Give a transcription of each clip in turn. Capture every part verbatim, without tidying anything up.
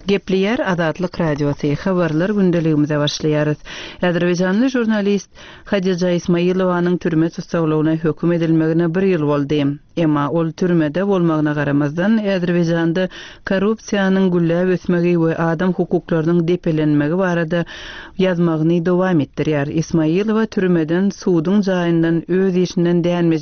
Gepleýär Azatlyk Radiosy, Habarlar gündeligimize başlaýarys. Azerbaýjanly žurnalist Hadija Ismailowanyň türme tussaglygyna höküm edilmegine bir ýyl boldy. Emma ol türmede bolmagyna garamazdan, Azerbaýjanda korrupsiýanyň gülläp ösmegi we adam hukuklarynyň depelenmegi barada ýazmagyny dowam etdirýär. Ismailowa türmeden suduň jaýyndan öz işinden dänme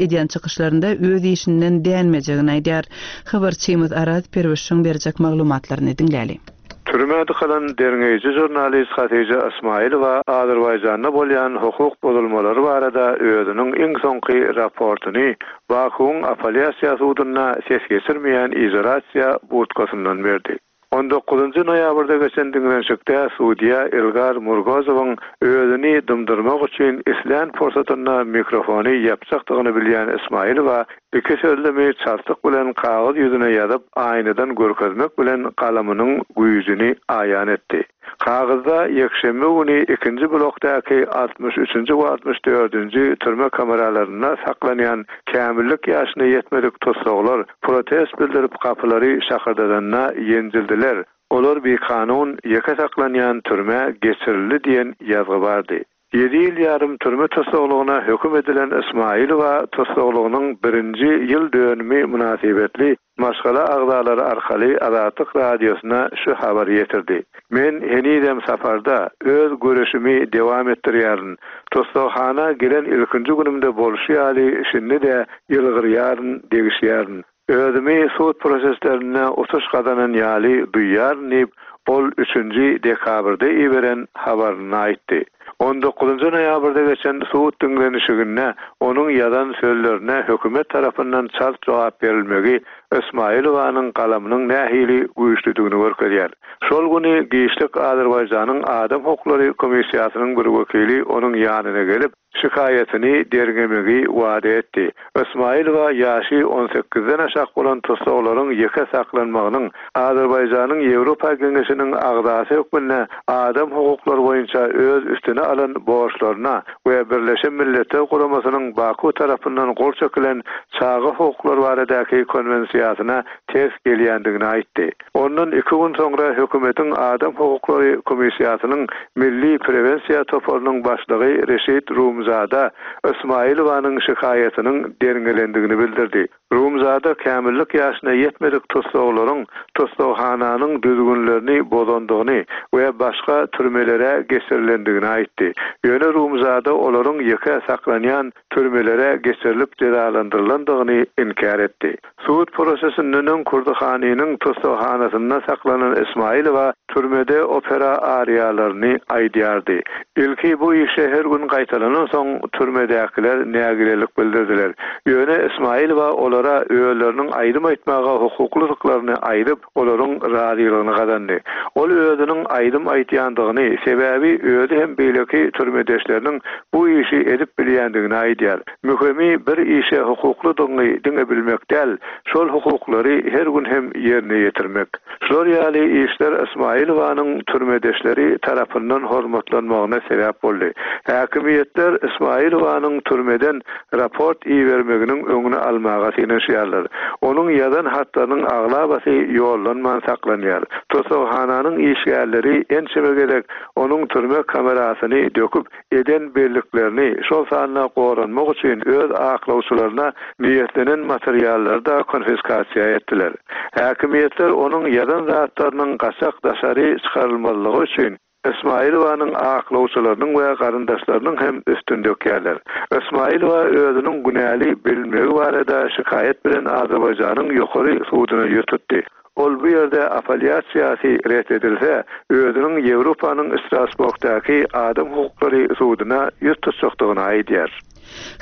edýän çykyşlarynda öz işinden dänmejegini aýdýar. Habarçymyz Araz Perwişiň berjek maglumatlaryny diňläli. Türmä dykylan derňeýji žurnalist Hatija Ismailowa Azerbaýjanda bolýan hukuk bozulmalary barada özüniň iň soňky raportyny Bakuwyň apellýasiýa sudunda ses geçirmeýän izolýasiýa budkasyndan berdi. On dokuzynjy noýabrda geçen diňlenişikde sudýa Ilgar Murgozowyň özüni dymdyrmak üçin islän pursatynda mikrofony ýapjakdygyny bilýän Ismailowa iki sözlemi çaltlyk bilen kagyz ýüzüne ýazyp, aýnadan görkezmek bilen galamynyň güýjüni aýan etdi. Kagyzda ýekşenbe güni ikinji blokdaky altmyş üçünji we altmyş dördünji türme kameralarynda saklanýan kämillik ýaşyna ýetmedik tussaglar protest bildirip gapylary şakyrdadanda ýenjildiler. Olar bikanun ýeke saklanýan türmä geçirildi diýen ýazgy bardy. Ýedi ýyl ýarym türme tussaglygyna höküm edilen Ismailowa tussaglygynyň birinji ýyl dönümi mynasybetli maşgala agzalary arkaly Azatlyk Radiosyna şu habary ýetirdi. Men henizem saparda öz göreşimi dowam etdirýärin. Tussaghana gelen ilkinji günümde bolşy ýaly şindi-de ýylgyrýaryn, degişýärin. Özümi sud proseslerinde utuş gazanan ýaly duýýaryn diýip, ol üçünji dekabrda iberen habarynda aýtdy. On dokuzynjy noýabrda geçen sud diňlenişiginde onuň ýazan sözlerine hökümet tarapyndan çalt jogap berilmegi Ismailowanyň galamynyň nähili güýçlüdigini görkezýär. Şol güni giçlik Azerbaýjanyň Adam hukuklary komissiýasynyň bir wekili onuň ýanyna gelip, şikaýatyny derňemegi wada etdi. Ismailowa ýaşy on sekizden aşak bolan tussaglaryň ýeke saklanmagynyň Azerbaýjanyň Ýewropa Geňeşiniň agzasy hökmünde adam hukuklary boýunça öz üstüne alan borçlaryna we Birleşen Milletler Guramasynyň Baku tarapyndan gol çekilen çaga hukuklary baradaky konwensiýasyna ters gelýändigini aýtdy. Ondan iki gün soňra hökümetiň Adam hukuklary komissiýasynyň Milli prewensiýa toparynyň başlygy Reşit Rumzada Ismailowanyň şikaýatynyň derňelendigini bildirdi. Rumzada kämillik ýaşyna ýetmedik tussaglaryň tussaghananyň düzgünlerini bozandygyny we başga türmelere geçirilendigini aýtdy. Ýöne Rumzada olaryň ýeke saklanýan türmelere geçirilip jezalandyrylandygyny inkär etdi. Sud prosesinden öň Kurdihanynyň tussaghanasynda saklanan Ismailowa türmede opera ariýalaryny aýdýardy. Ilki bu işe her gün gaýtalanan soň türmedäkiler nägilelik bildirdiler. Ýöne Ismailowa olara özleriniň aýdym aýtmaga hukuklydyklaryny aýdyp, olaryň razylygyny gazandy. Ol özüniň aýdym aýtýandygyny, sebäbi özi hem beýleki türmedeşleriniň bu işi edip bilýändigini aýdýar. Möhümi bir işe hukuklydygyny diňe bilmek däl, şol hukuklary her gün hem ýerine ýetirmek. Şular ýaly işler Ismailowanyň türmedeşleri tarapyndan hormatlanmagyna sebäp boldy. Häkimiýetler Ismailowanyň türmeden raport ibermeginiň öňüni almaga synanyşýarlar. Onuň ýazan hatlarynyň aglabasy ýollanman saklanýar. Tussaghananyň işgärleri ençeme gezek onuň türme kamerasyny döküp, eden belliklerini, şol sanda goranmak üçin öz aklawçylaryna niýetlenen materiallary da konfiskasiýa etdiler. Häkimiýetler onuň ýazan zatlarynyň gaçak daşary çykarylmazlygy üçin Ismailowanyň aklawçylarynyň we garyndaşlarynyň hem üstüni dökýärler. Ismailowa özüniň günäli bilinmegi barada şikaýat bilen Azerbaýjanyň ýokary suduna ýüz tutdy. Ol bu ýerde apellýasiýasy ret edilse, özüniň Ýewropanyň Strasburgdaky adam hukuklary suduna ýüz tutjakdygyny aýdýar.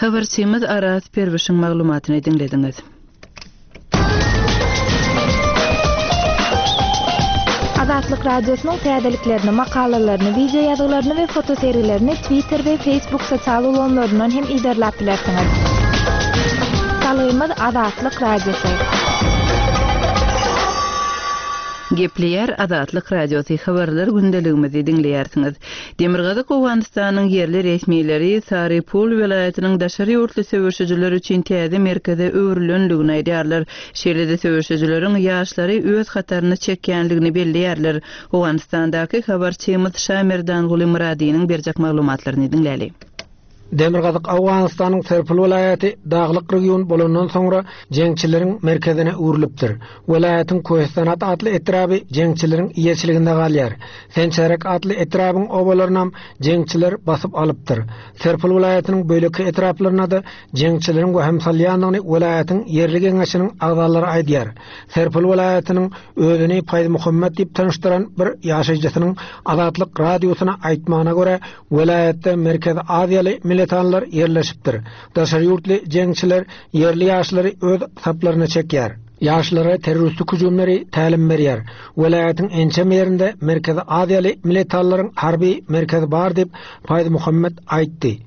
Habarçymyz Araz Perwişiň maglumatyny diňlediňiz. Azatlyk Radiosynyň täzeliklerini, makalalaryny, wideo ýazgylaryny we fotosergilerini Twitter we Facebook sosial ulgamlaryndan hem yzarlap bilersiňiz. Salgymyz Azatlyk Radiosy. Gepleýär Azatlyk Radiosy habarlar gündeligimizi diňleýärsiňiz. Demirgazyk Owganystanyň ýerli resmileri Saripul welaýatynyň daşary ýurtly söweşijiler üçin täze merkeze öwrülendigini aýdýarlar. Şeýle-de söweşijileriň ýaşlary öz hataryna çekýändigini belleýärler. Owganystandaky habarçymyz Şamerdanguly Muradynyň berjek maglumatlaryny diňläli. Demirgazyk Owganystanyň Serpil welaýaty daglyk region bolandan soňra jeňçileriň merkezine öwrülipdir. Welaýatyň Köhestanat atly etraby jeňçileriň eýeçiliginde galýar. Sençerek atly etrabyň obalarynam jeňçiler basyp alypdyr. Serpil welaýatynyň böleki etraplaryna da jeňçileriň wehim salýandygyny welaýatyň ýerli geňeşiniň agzalary aýdýar. Serpil welaýatynyň özüni Paýz Muhammed diýip tanyşdyran bir ýaşaýjysynyň Azatlyk radiosyna aýtmagyna görä, welaýatda Merkezi Aziýaly militanlar ýerleşipdir. Daşary ýurtly jeňçiler ýerli ýaşlary öz saplaryna çekýär. Ýaşlara terroristik hüjümleri tälim berýär. Welaýatyň ençeme ýerinde Merkezi Aziýaly militanlaryň harby merkezi bar diýip Paýz Muhammed aýtdy.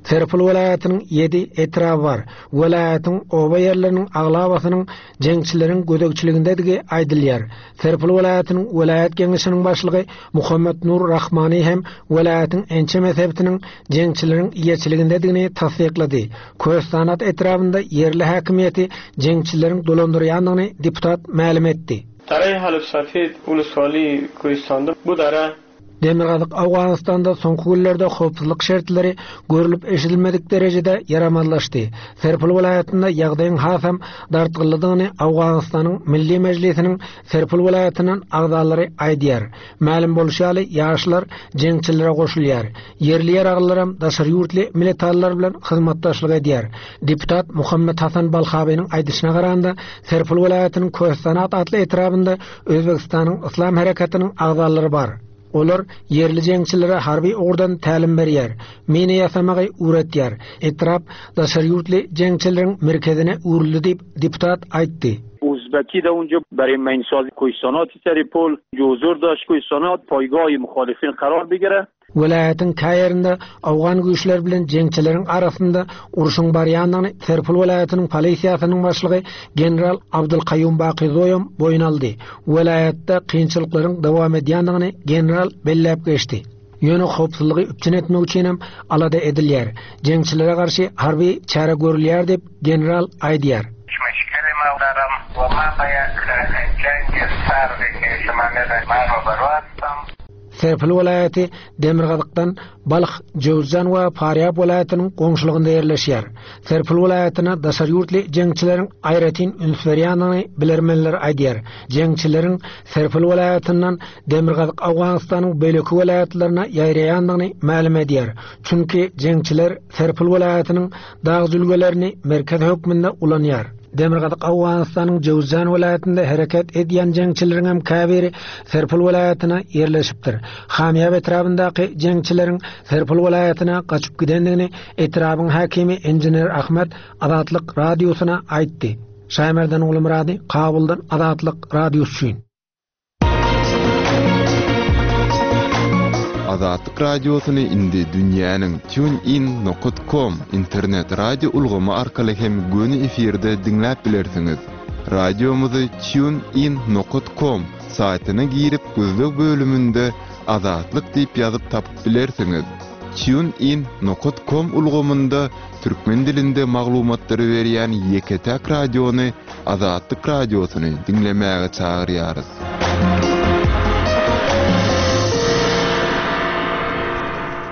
Serpil welaýatynyň ýedi etraby bar. Welaýatyň oba ýerleriniň aglabasynyň jeňçileriň gözegçiligindedigi aýdylýar. Serpil welaýatynyň welaýat geňeşiniň başlygy Muhammed Nur Rahmani hem welaýatyň ençeme sebitiniň jeňçileriň eýeçiligindedigini tassyklady. Köhestanat etrabynda ýerli häkimiýeti jeňçileriň dolandyrýandygyny deputat mälim etdi. Daraý Halif Safid Uluswali Köhestanda bu dara Demirgazyk Owganystanda soňky günlerde howpsuzlyk şertleri görülip eşidilmedik derejede ýaramazlaşdy. Serpil welaýatynda ýagdaýyň hasam dartgynlydygyny Owganystanyň Milli Mejlisiniň Serpil welaýatynyň agzalary aýdýar. Mälim bolşy ýaly ýaşlar jeňçilere goşulýar. Ýerli ýaraglylaram daşary ýurtly militanlar bilen hyzmatdaşlyk edýär. Deputat Muhammed Hasan Balhabynyň aýdyşyna garanda Serpil welaýatynyň Köhestanat atly etrabynda Özbekistanyň Yslam hereketiniň agzalary bar. Olar ýerli jeňçilere harby ugurdan tälim berýär, mine ýasamagy öwretýär. Etrap daşary ýurtly jeňçileriň merkezine öwrüldi diýip deputat aýtdy. Uzbeki da اونجا برای مینساز کوهستانات سرپل حضور داشت کوهستانات پایگاه مخالفین قرار بگیره. Welaýatyň käýerinde Owgan güýçleri bilen jeňçileriň arasynda urşuň barýandygyny Serpil welaýatynyň polisiýasynyň başlygy general Abdulkaýum Bakyzoýam boýun aldy. Welaýatda kynçylyklaryň dowam edýändigini general belläp geçdi. Ýöne howpsuzlygy üpjün etmek üçin hem alada edilýär. Jeňçilere garşy harby çäre görülýär diýip general aýdýar. Serpil welaýaty Demirgazykdan Balh, Jowzjan we Farýab welaýatynyň goňşulygynda ýerleşýär. Serpil welaýatyna daşary ýurtly jeňçileriň aýratyn üns berýändigini bilermenler aýdýar. Jeňçileriň Serpil welaýatyndan Demirgazyk Owganystanyň beýleki welaýatlaryna ýaýraýandygyny mälim edýär. Çünki jeňçiler Serpil welaýatynyň dag jülgelerini merkez hökmünde ulanýar. Demirgazyk Owganystanyň Jowzjan welaýatynda hereket edýän jeňçileriň hem käbiri Serpil welaýatyna ýerleşipdir. Hamýab etrabyndaky jeňçileriň Serpil welaýatyna gaçyp gidendigini etrabyň häkimi inžener Ahmet Azatlyk radiosyna aýtdy. Şaýmerdan Ulumyrady, Kabuldan Azatlyk radiosy üçin. Azatlyk radiosyny indi dünýäniň tunein nokta com internet radio ulgamy arkaly hem göni efirde diňläp bilersiňiz. Radiomyzy tunein nokta com saýtyna girip gözleg bölüminde Azatlyk diýip ýazyp tapyp bilersiňiz. tunein nokta com ulgamynda türkmen dilinde maglumatlary berýän ýeke-täk radiony Azatlyk radiosyny diňlemäge çagyrýarys.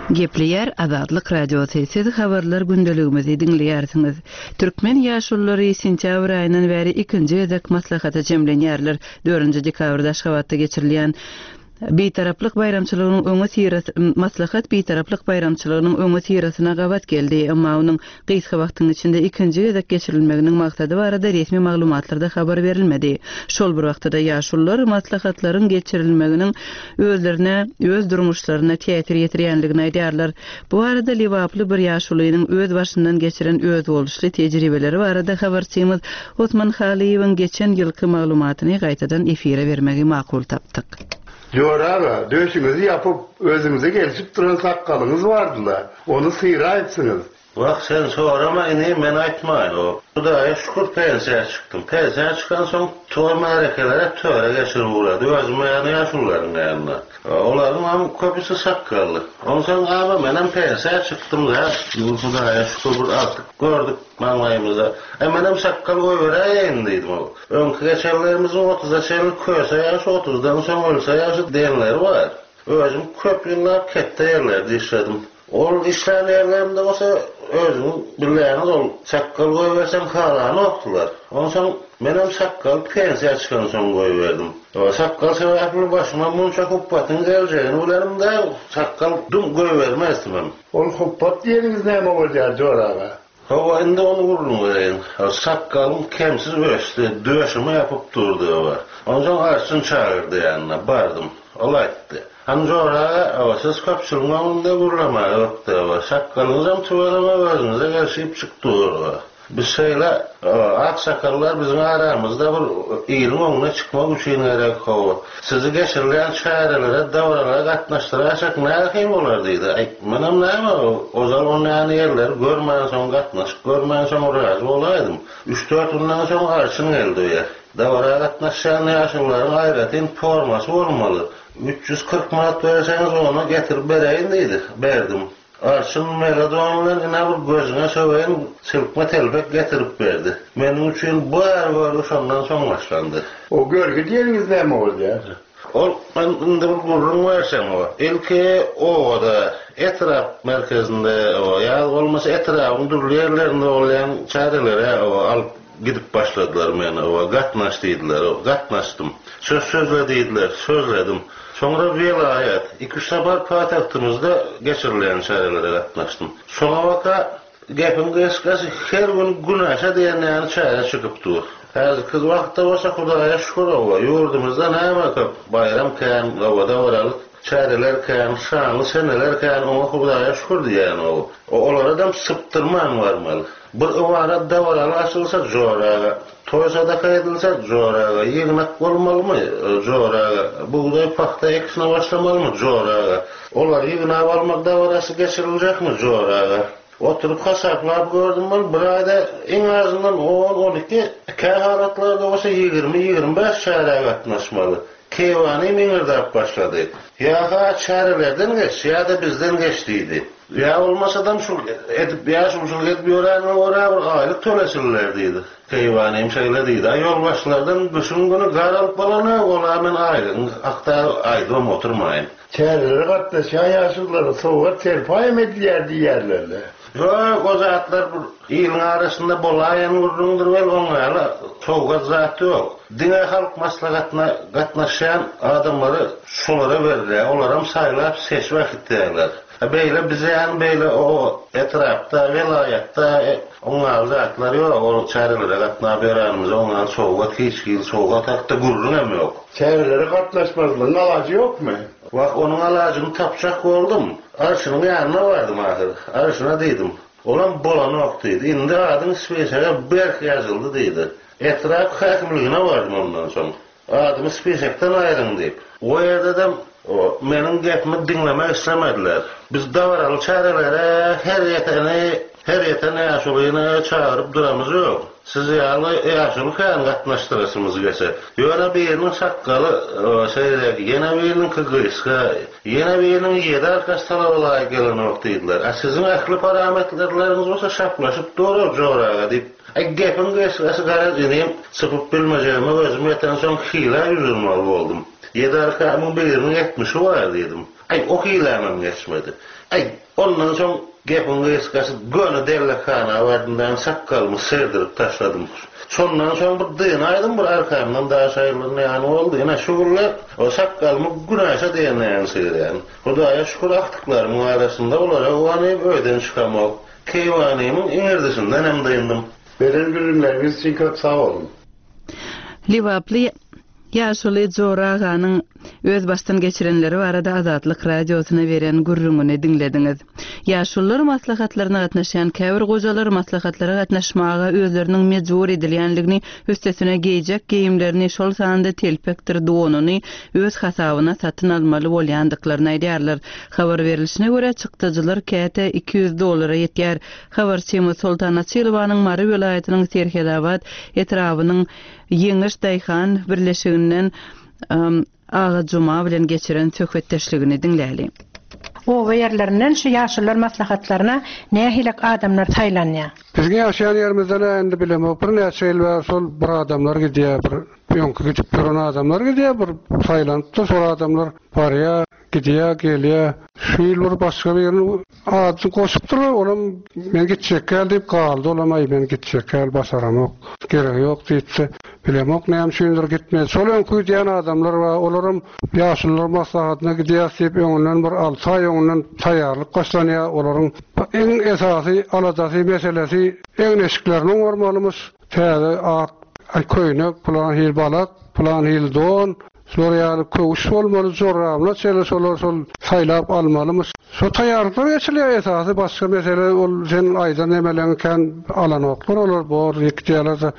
Gepleýär Azatlyk radiosy. Siz habarlar gündeligimizi diňleýärsiňiz. Türkmen ýaşululary sentýabr aýyndan bäri ikinji gezek maslahata jemlenýärler. Dördünji dekabrda Aşgabatda geçirilýän Bitaraplyk baýramçylygynyň öňe sirasy maslahat Bitaraplyk baýramçylygynyň öňe sirasyna gabat geldi. Emma onuň gysga wagtyň içinde ikinji gezek geçirilmeginiň maksady barada resmi maglumatlarda habar berilmedi. Şol bir wagtda ýaşulular maslahatlaryň geçirilmeginiň özlerine, öz durmuşlaryna täsir ýetirýändigini aýdýarlar. Bu arada Lebaply bir ýaşulynyň öz başyndan geçiren öz boluşly tejribeleri barada habarçymyz Osman Halyýewiň geçen ýylky maglumatyny gaýtadan efire bermegi makul tapdyk. Jora aga, döşüňizi ýapyp, özüňize gelşip duran sakgalyňyz bardy-la, ony syraýypsyňyz. Wah, sen sorama inim, men aýtmaýyn. O, Hudaýa şükür pensiýa çykdym. Pensiýa çykansoň toý-märekelere töre geçirip ugrady. Özüm ýany ýaşulularyň ýanyna. Olaryň hem köpüsi sakgally. Onsoň aga menem pensiýa çykdym da, Hudaýa şükür bir artyk gördük maňlaýymyzda. E menem sakkal goýberäýeýin diýdim. Öňki geçenlerimiziň otuza çenli köse ýaşy, otuzdan soň ölse ýaşy diýenleri bar. Özüm köp ýyllap ketde ýerlerde işledim. Ol işlän ýerlerimde bolsa özüň bilýäňiz ol sakkal goýberseň halany okdular. Onsoň menem sakkal pensiýa çykansoň goýberdim. O sakkal sebäpli başyma munça hupbatyň geljegini bilenim-de sakkal dum goýbermezdim. Ol hupbat diýeniňiz näme bolýar Jora aga? Hawa, indi ony gürrüň bereýin. Sakgalym kemsiz ösdi, döşüme ýapyp durdy o. Onsoň arçyn çagyrdy ýanyna, bardym. Ol aýtdy. Han Jora aga, o, siz köpçüligiň öňünde gürlemäge ökde, o, sakgalyňyzam tüweleme özüňize gelşip çykdy o. Biz şeýle, o, ak sakallar biziň aramyzda bir iliň öňüne çykmak üçin gerek o. Sizi geçirilen çärelere, dabaralara gatnaşdyraýsak nähili bolar diýdi. Aý, menem näme, ozal onlaýan ýerleri görmän soň gatnaşyp görmän soň razy bolaýdym. Üç-dört günden soň arçyn geldi öýe. Dabara gatnaşýan ýaşulularyň aýratyn formasy bolmaly. Üç ýüz kyrk manat berseňiz ona getirip bereýin diýdi. Berdim. Arçyn megadon bilen ine bir gözüne söweýin silkme telpek getirip berdi. Meniň üçin bu är görgi şondan soň başlandy. O görgi diýeniňiz näme bolýar? Ol men indi bir gürrüň bersem o. Ilki obada, etrap merkezinde o, ýa bolmasa etrabın dürli ýerlerinde bolýan çärelere o alyp gidip başladylar meni o, gatnaş diýdiler, o, gatnaşdym. Söz sözle diýdiler, sözledim. Soňra vilayet, iki üç sapar paýtagtymyzda geçirilen çärelere gatnaşdym. Soňa baka gepin gysgasy her gün güneşe diýen ýaly çäre çykyp dur. Häzirki wagtda bolsa Hudaýa şükür owa, ýurdumyzda näme köp bayram kän, obada baralyk, çäreler kän, şanly seneler kän, oňa Hudaýa şükür diýen o. O olara sypdyrman barmaly. Bir ybarat dabaraly açylsa joraga, toý sadaka edilse joraga, ýygnak bolmalymy joraga, bugdaý pagta ekişine başlamalymy joraga. Olar ýygnap almak dabarasy geçiriljekmi joraga. Oturup hasaplap gördüm ben bir ayda iň azyndan on, on iki, kähalatlarda bolsa ýigrimi, ýigrimi bäş çäre gatnaşmaly. Keýwany miňirdäp başlady. Ýa-ha çärelerden geç, ýa-da bizden geç diýdi. Ýa bolmasadam şu edip, ýa şu şul edip ýöräňe görä bir aýlyk tölesinler diýdi. Keýwanym şeýle diýdi. Aý ýolbaşçylardan düşün günü gar alyp bolany, ola men aýlygyň hakda aýdym oturmaýyn. Çärelere gatnaşýan ýaşululara sowgat serpaý edilýär diýerler. Ýok, o zatlar bir iliň arasynda bolaýan gürrüňdir wel oňa sowgat zat ýok. Diňe halk maslahatyna gatnaşýan adamlary şolara berilýär. Olaram saýlap seçip äkitýärler. Beýle bize ýan beýle o etrapda, welaýatda oňa zatlar ýok. Ol çärelere gatnap berenimiz oňa sowgat hiç hil sowgat hakda gürrüň hem ýok. Çärelere gatnaşmazlygyň alajy ýokmy? Wah, onuň alajyny tapjak boldum. Arşynyň ýanyna bardym ahyr. Arşyna diýdim. Olam bolanok diýdi. Indi adyň spesege berk ýazyldy diýdi. Etrap häkimligine bardym ondan soň. Adymy spesekden aýryň diýip. O ýerde-de o meniň gepimi diňlemek islemediler. Biz dabaraly çärelere her ýeteni, her ýeten ýaşulyny çagyryp duramyz ýok. Siz ýaly ýaşuly kän gatnaşdyrasymyz gelse. Ýöne biriniň sakgaly, o, şeýle, ýene biriniň gysga, ýene biriniň ýedi arkasy talaba laýyk gelenok diýdiler. A siziň ähli parametrleriňiz bolsa şaplaşyp dur joraga diýip. Ay gepin gysgasy garaz inim sypyp bilmejegime özüm ýeten soň hile ýüzürmeli boldum. Ýedi arkamyň biriniň ýetmişi bar diýdim. Ay o hilämem geçmedi. Ay ondan soň gepin gysgasy göni dellekhana bardym, ben sakgalymy serdirip taşladım. Şondan soň bir dynaýdym, bir arkamdan daş aýrylan ýany boldy. Ine şu günler o sakgalymy güneşe diýen ýany sygyrýan. Hudaýa şükür aktyklarymyň arasynda olara guwanyp öýden çykamok. Keýwanymyň iňirdisinden hem dyndım. Beren gürrüňleriňiz üçin köp sag boluň. Lebaply ýaşuly Jora aganyň öz başdan geçirenleri barada Azatlyk radiosyna beren gürrüňini diňlediňiz. Ýaşulular maslahatlaryna gatnaşýan käbir gojalar maslahatlara gatnaşmaga özleriniň mejbur edilýänligini, üstesine geýjek geýimlerini, şol sanda telpekdir donuny öz hasabyna satyn almaly bolýandyklaryny aýdýarlar. Habar berilişine görä çykdajylar käte iki ýüz dollara ýetýär. Habarçymyz Soltan Açylowanyň Mary welaýatynyň Serhetabat etrabynyň Ýeňiş Daýhan birleşiginden Aga Juma bilen geçiren söhbetdeşligini diňläli. Oba ýerlerinden şu ýaşulular maslahatlaryna nähili adamlar saýlanýar? Biziň ýaşaýan ýerimizden indi bilemok, birnäçe ýyl bäri şol bir adamlar gidýär, bir öňki gidip duran adamlar gidýär, bir saýlanypdyr şol adamlar barýar, gidýär, gelýär. Şu ýyl bir başga birini adyny goşupdyrlar, olam men gitjek gel diýip galdy, olam aý men gitjek gel başaramok, geregi ýok diýipdi. Bilemok näme üçindir gitmedi. Şol öňki gidýän adamlar bar, olaram ýaşulular maslahatyna gidýär diýip öňünden bir alty aý öňünden taýýarlyk başlanýar. Olaryň iň esasy aladasy meselesi egin-eşiklerini oňarmalymyş. Täze ak köýnek, plan hil balak, plan hil don, şolar ýaly köwüş bolmaly, jorablar şeýle şolar şol saýlap almalymyş. Şo taýýarlyklar geçilýär esasy, başga mesele ol sen aýdan nemeleň kän alanoklar, olar bor gidýärler.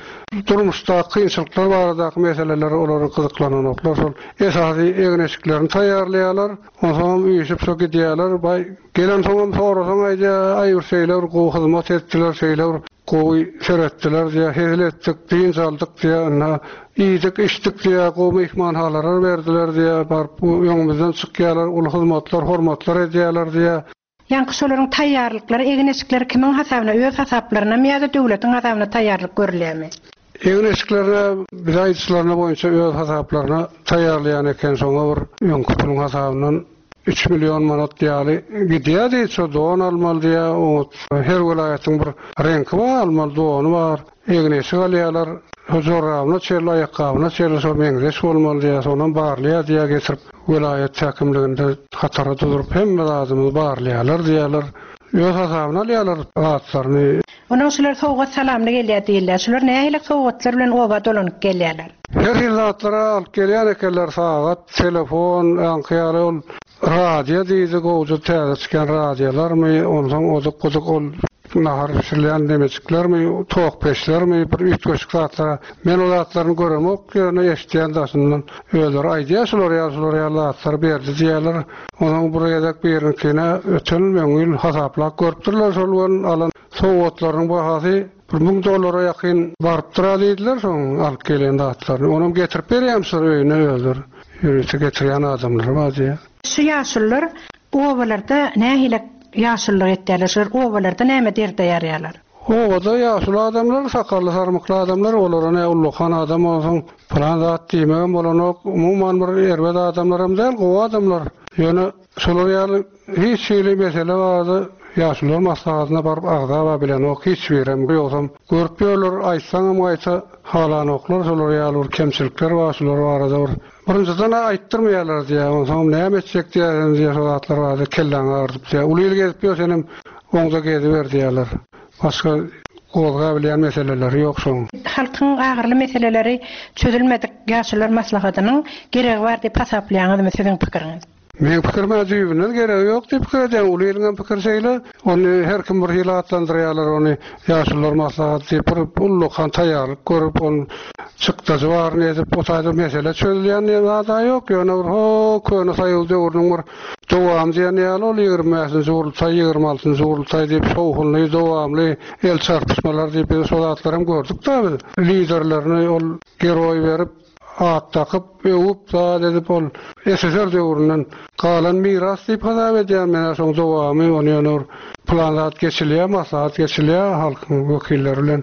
Durmuşda kynçylyklar baradaky meseleler olary gyzyklananoklar. Şol esasy egin-eşiklerini taýýarlaýarlar. Onsoň üýşüp şo gidýärler. Baý gelen soňam sorasaň aýdýar, aý bir şeýle bir gowy hyzmat etdiler, şeýle bir gowy seretdiler diýär, hezil etdik, dynç aldyk diýär, ynha iýdik, içdik diýär, gowy myhmanhanalar berdiler diýär, baryp öňümizden çykýarlar, uly hyzmatlar, hormatlar edýärler diýär. Ýaňky şolaryň taýýarlyklary, egin-eşikleri kimiň hasabyna, öz hasaplaryna ýa-da döwletiň hasabyna taýýarlyk görülýärmi? Egin-eşiklerine biz aýdyşlaryna boýunça öz hasaplaryna taýýarlaýan eken, şoňa bir öňki puluň hasabyndan üç million manat ýaly gidýär diýip, şo don almaly diýär, oňa her welaýatyň bir reňki bar, almaly dony bar, egin-eşik alýarlar, şo jorabyna çenli, aýakgabyna çenli şo meňzeş bolmaly diýär, soňam barlaýar diýär, getirip welaýat häkimliginde hatara durup hemme zadymyzy barlaýarlar diýärler. Öz hasabyna alýarlar zatlaryny. Onuň şular sowgat salamly gelýär diýilýär. Şular nähili sowgatlar bilen oba dolanyp gelýärler? Her hil zatlara alyp gelýän ekenler, sagat, telefon, aňky ýaly ol radio diýdi, gowja täze çykan radiolarmy, onsoň odyk-budyk ol nahar bişirilýän demejiklermi, tok peçlermi, bir üýtgeşik zatlara. Men o zatlaryny göremok, ýöne eşitýän daşyndan özleri aýdýar, şular ýaly, şular ýaly zatlar berdi diýýärler. Onuň bir gezek birinkine öten müň ýyl hasaplap görüpdirler, şol gün alan sowgatlaryň bahasy bir müň dollara ýakyn barypdyr diýdiler, şoň alyp gelen zatlaryny. Onam getirip berýärmişler öýüne özleri. Ýörite getirýän adamlar bar diýýär. Şu ýaşulular obalarda nähili ýaşululyk etýärler? Şular obalarda näme derde ýarýarlar? Obada ýaşuly adamlar, sakally sarmykly adamlar, olara ne ullakan adam bolsun, plan zat diýmegem bolanok. Umuman bir erbet adamlaram däl, gowy adamlar. Ýöne şolar ýaly hiç hili mesele barada ýaşulular maslahatyna baryp agzaba bilenok, hiç birem ýogsam görüp ýörler, aýtsaňam gaýta halanoklar, şolar ýaly bir kemçilikler bar, şolar barada bir birinjiden aýtdyrmaýarlar diýär, onsoň näme etjek diýär, diýär, şo zatlar barada kelläňi agyrdyp diýär. Uly ýyl gezip ýör, senem oňda geziber diýärler. Başga gozga bilýän meseleleri ýok şoň. Halkyň agyrly meseleleri çözülmedik ýaşulular maslahatynyň geregi bar diýip hasaplaýaňyzmy siziň pikiriňiz? Meň pikirime düýbünden geregi ýok diýip pikir edýän. Uly ýylyň hem pikiri şeýle. Ony her kim bir hili atlandyrýarlar, ony ýaşulular maslahaty diýip bir ullakan taýýarlyk görüp, ony çykdajy baryny edip, o taýda mesele çözülýän diýen zat ýok. Ýöne bir ho köne saýyl döwrüniň bir dowamy diýen ýaly ol ýigrimi bäşinji gurultaý, ýigrimi altynjy gurultaý diýip şowhunly, dowamly el çarpyşmalar diýip biz şo zatlary hem gördük da biz. Liderlerini ol geroý berip, at takyp, öwüp, zat edip ol S S R döwründen galan miras diýip hasap edýän men şoň dowamy, ony ýöne bir plan zat geçilýär, maslahat geçilýär halkyň wekilleri bilen.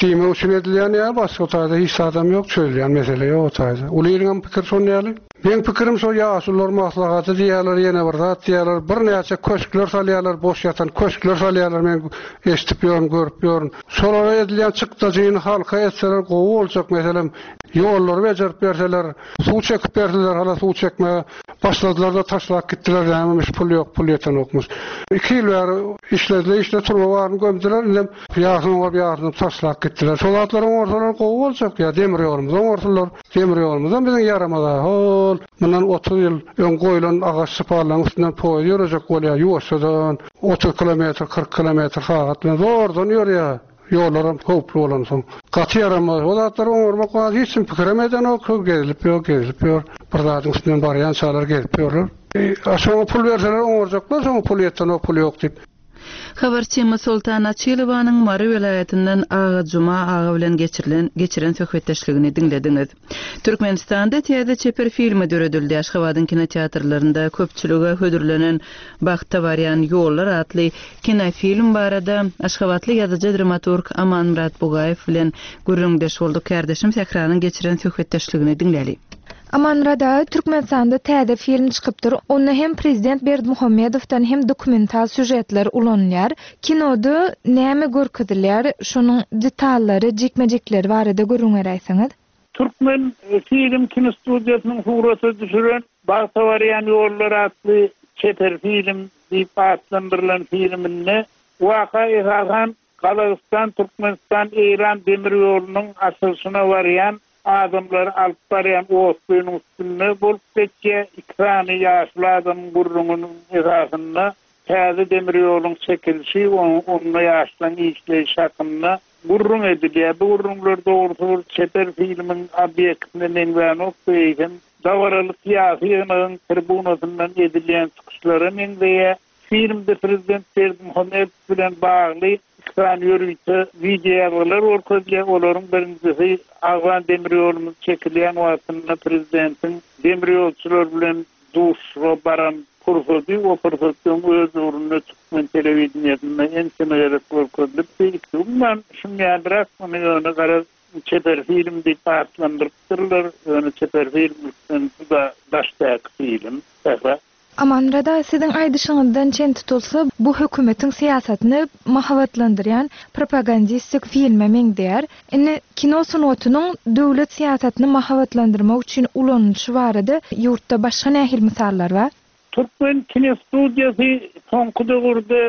Diýmek üçin edilýän ýa başga taýda hiç zadam ýok, çözülýän mesele ýok o taýda. Uly ýylyň hem pikir şon ýaly. Meň pikirim şo ýaşulular maslahaty diýýärler, ýene bir zat diýýärler, birnäçe köşkler salýarlar, boş ýatan köşkler salýarlar, men eşitip ýörün, görüp ýörün. Şolara edilýän çykdajyny halka etseler gowy boljak, meselem, ýollary bejerip berseler, suw çekip berseler, hala suw çekmäge başladylar da taşlap gitdiler, nämemiş pul ýok, pul ýetenokmuş. Iki ýyl bäri işlediler, işle turba baryny gömdüler, indem ýarsyny oňar, ýarsyny taşlap gitdiler. Şol zatlar oňarsalar gowy boljak, ýa demir ýolumyzy oňarsalar, Demir ýolumyzam biziň ýaramaz. Hol, mundan otuz ýyl öň goýlan agaç şypallaryň üstünden poýuz ýörejek bolýar, ýuwaşjadan otuz kilometr, kyrk kilometr sagat bilen zordan ýörýär. Ýollaram howply bolansoň. Gaty ýaramaz. O zatlary oňarmak bar, hiç kim pikirem edenok, gezilip ýör, gezilip ýör. Bir zadyň üstünden barýan çalar gezip ýörler. E, şoňa pul berseler oňarjaklar, şoňa pul ýetenok, pul ýok diýip. Habarçymyz Soltan Açylowanyň Mary welaýatyndan Aga Juma aga bilen geçirilen geçiren söhbetdeşligini diňlediňiz. Türkmenistanda täze çeper filmi döredildi. Aşgabadyň kinoteatrlarynda köpçülige hödürlenen Bagta barýan ýollar atly kinofilm barada Aşgabatly ýazyjy dramaturg Amanmyrat Bugaýew bilen gürrüňdeş bolduk. Kärdeşim Sähranyň geçiren söhbetdeşligini diňläli. Amanmyrat aga, Türkmenistanda täze film çykypdyr. Onda hem prezident Berdimuhamedowdan hem dokumental sýužetler ulanylýar. Kinoda näme görkezilýär? Şonuň detallary, jikme-jikleri barada gürrüň beräýseňiz. Türkmen film kinostudiýasynyň surata düşüren Bagta barýan ýollar atly çeper film diýip atlandyrylan filminde waka esasan Gazagystan, Türkmenistan, Eýran demir ýolunyň açylyşyna barýan adamlary alyp barýan otlynyň üstünde bolup geçýär. Iki sany ýaşly adamyň gürrüňiniň esasynda täze demir ýoluň çekilişi, onda ýaşlaryň işleýşi hakynda gürrüň edilýär. Bu gürrüňler dogrusy bir çeper filmiň obýektine meňzänok, eýsem dabaraly syýasy ýygnagyň tribunasyndan edilýän çykyşlara meňzeýär. Filmde prezident Berdimuhamedow bilen bagly iki sany ýörite wideo ýazgylar görkezilýär. Olaryň birinjisi Agwan demir ýolumyz çekilýän wagtynda prezidentiň demir ýolçular bilen duşuşyga baran pursady, o pursatdan öz ugrunda Türkmen telewideniýesinde ençeme gezek görkezilipdi. Umuman, şuň ýalyrak muny ýöne garaz çeper film diýip atlandyrypdyrlar. Ýöne çeper filmlikden juda daşdaky film. Sähra. Amanmyrat aga, siziň aýdyşyňyzdan çen tutulsa, bu hökümetiň syýasatyny mahabatlandyrýan propagandistik filme meňzeýär. Indi kino sungatynyň döwlet syýasatyny mahabatlandyrmak üçin ulanylyşy barada ýurtda başga nähili mysallar bar? Türkmen kinostudiýasy soňky döwürde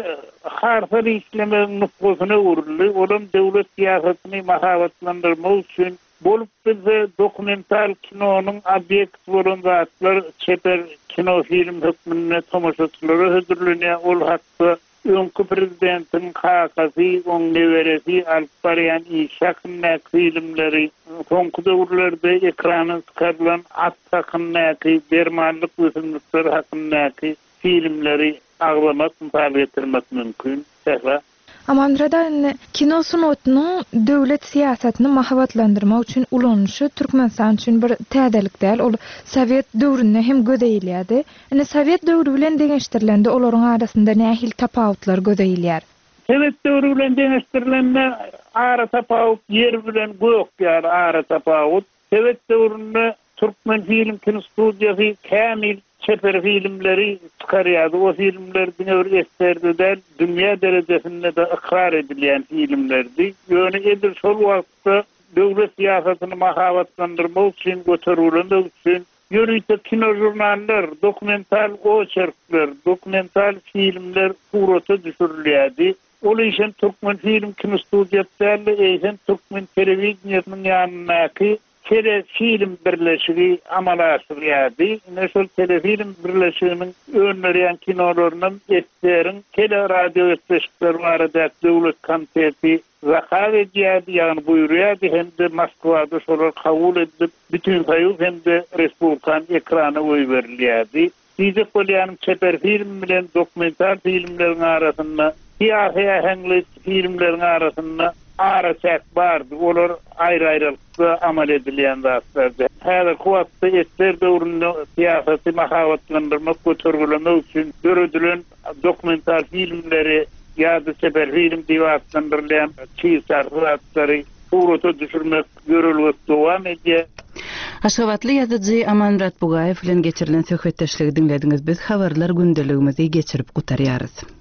harsal işlemegiň nusgasyna öwrüldi. Olam döwlet syýasatyny mahabatlandyrmak üçin bolup bilse dokumental kinonyň obýekt bolan zatlar çeper kino film hökmünde tomaşaçylara hödürlenýär. Ol hakda öňki prezidentiň kakasy, oň neberesi alyp barýan iş hakyndaky filmleri, soňky döwürlerde ekrana çykarylan at hakyndaky, dermanlyk ösümlikler hakyndaky filmleri aglamak, mysal getirmek mümkin. Sähra. Amanmyrat aga, indi kino sungatynyň döwlet syýasatyny mahabatlandyrmak üçin ulanylyşy Türkmenistan üçin bir täzelik däl. Ol Sowet döwründe hem göze ilýärdi. Indi Sowet döwri bilen deňeşdirilende olaryň arasynda nähili tapawutlar göze ilýär? Sowet döwri bilen deňeşdirilende ara tapawut ýer bilen gök ýaly ara tapawut. Sowet döwründe Türkmen film kinostudiýasy kämil çeper filmleri çykarýardy. O filmler diňe bir eserde däl, dünýä derejesinde de ykrar edilýän filmlerdi. Ýöne edil şol wagtda döwlet syýasatyny mahabatlandyrmak üçin, götergilemek üçin ýörite kino jurnallar, dokumental oçerkler, dokumental filmler surata düşürilýärdi. Ol işem Türkmen film kinostudiýasy däl, eýsem Türkmen telewideniýesiniň ýanyndaky telefilm birleşigi amala aşyrýardy. Ine şol telefilm birleşiginiň öndürýän kinolaryndan eseriň teleradio gepleşikleri barada döwlet komiteti zakaz edýärdi, ýagny buýurýardy hem-de Moskwada şolar kabul edilip, bütün soýuz hem-de respublikan ekrana goýberilýärdi. Diýjek bolýanym çeper film bilen dokumental filmleriň arasynda, syýasy äheňli filmleriň arasynda araçäk bardy. Olar aýry-aýrylykda amal edilýän zatlardy. Häzirki wagtda eser döwründe syýasaty mahabatlandyrmak, götergilemek üçin döredilen dokumental filmleri ýa-da çeper film diýip atlandyrylýan çig zatlary surata düşürmek ýörelgesi dowam edýär. Aşgabatly ýazyjy Amanmyrat Bugaýew bilen geçirilen söhbetdeşligi diňlediňiz. Biz habarlar gündeligimizi geçirip gutarýarys.